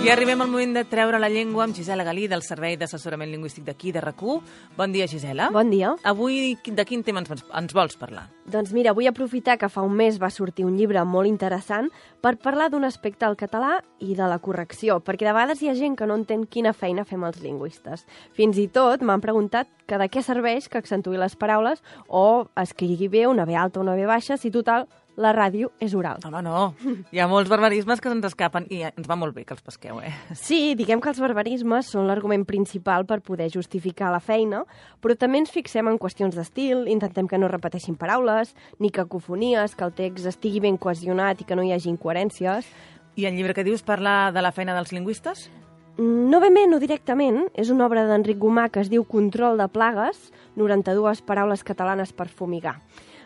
I arribem al moment de treure la llengua amb Gisela Galí, del Servei d'Assessorament Lingüístic d'aquí, de RAC1. Bon dia, Gisela. Bon dia. Avui de quin tema ens vols parlar? Doncs mira, vull aprofitar que fa un mes va sortir un llibre molt interessant per parlar d'un aspecte del català i de la correcció, perquè de vegades hi ha gent que no entén quina feina fem els lingüistes. Fins i tot m'han preguntat que de què serveix que accentui les paraules o escrigui bé una B alta o una B baixa, si total la ràdio és oral. Home, no. Hi ha molts barbarismes que se'ns escapen i ens va molt bé que els pesqueu, Sí, diguem que els barbarismes són l'argument principal per poder justificar la feina, però també ens fixem en qüestions d'estil, intentem que no repeteixin paraules, ni cacofonies, que el text estigui ben cohesionat i que no hi hagi incoherències. I el llibre que dius parla de la feina dels lingüistes? No ben bé, no directament. És una obra d'Enric Gomà que es diu Control de plagues, 92 paraules catalanes per fumigar.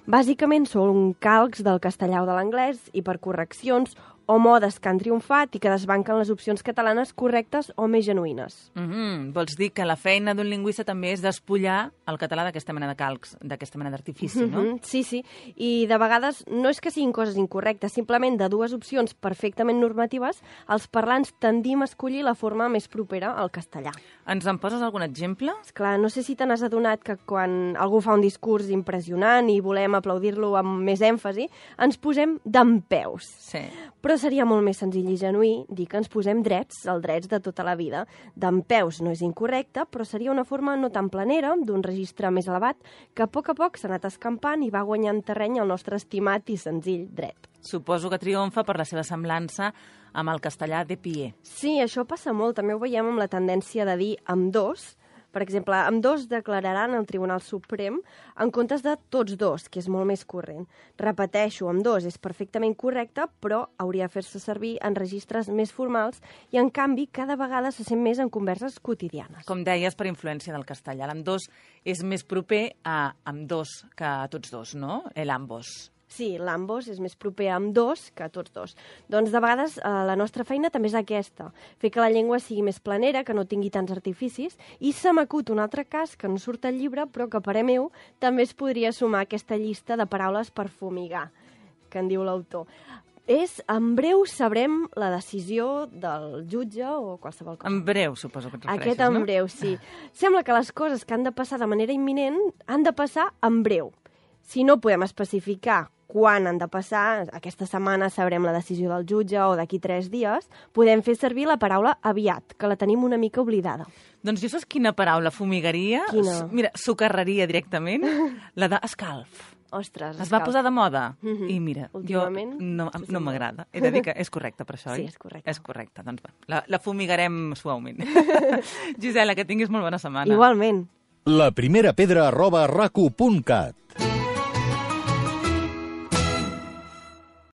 Bàsicament són calcs del castellà o de l'anglès i per correccions o modes que han triomfat i que desbanquen les opcions catalanes correctes o més genuïnes. Vols dir que la feina d'un lingüista també és despullar el català d'aquesta mena de calcs, d'aquesta mena d'artifici, no? Sí, sí. I de vegades no és que siguin coses incorrectes, simplement de dues opcions perfectament normatives, els parlants tendim a escollir la forma més propera al castellà. Ens en poses algun exemple? Esclar, no sé si te n'has adonat que quan algú fa un discurs impressionant i volem aplaudir-lo amb més èmfasi, ens posem dempeus. Sí. Però seria molt més senzill i genuí dir que ens posem drets, els drets de tota la vida. Dempeus no és incorrecte, però seria una forma no tan planera, d'un registre més elevat, que a poc s'ha anat escampant i va guanyant terreny el nostre estimat i senzill dret. Suposo que triomfa per la seva semblança amb el castellà de pie. Sí, això passa molt. També ho veiem amb la tendència de dir ambdós. Per exemple, ambdós declararan al Tribunal Suprem en comptes de tots dos, que és molt més corrent. Repeteixo, ambdós és perfectament correcte, però hauria de fer-se servir en registres més formals i, en canvi, cada vegada se sent més en converses quotidianes. Com deies, per influència del castellà. L'ambdós és més proper a ambdós que a tots dos, no? L'ambos. Sí, l'ambos és més proper a ambdós que a tots dos. Doncs de vegades la nostra feina també és aquesta, fer que la llengua sigui més planera, que no tingui tants artificis, i se m'acut un altre cas que no surt al llibre, però que a parer meu també es podria sumar a aquesta llista de paraules per fumigar, que en diu l'autor. En breu sabrem la decisió del jutge o qualsevol cosa. En breu, suposo que et refereixes, Aquest en breu, sí. Sembla que les coses que han de passar de manera imminent han de passar en breu. Si no podem especificar quan han de passar, aquesta setmana sabrem la decisió del jutge o d'aquí 3 dies, podem fer servir la paraula aviat, que la tenim una mica oblidada. Doncs jo saps quina paraula fumigaria? Quina? Mira, socarraria directament, la d'escalf. Ostres, es va posar de moda i mira, últimament, jo no m'agrada. He de dir que és correcte per això, Sí, oi? és correcte. És correcte, doncs va, la fumigarem suaument. Gisela, que tinguis molt bona setmana. Igualment. laprimera pedra@racu.cat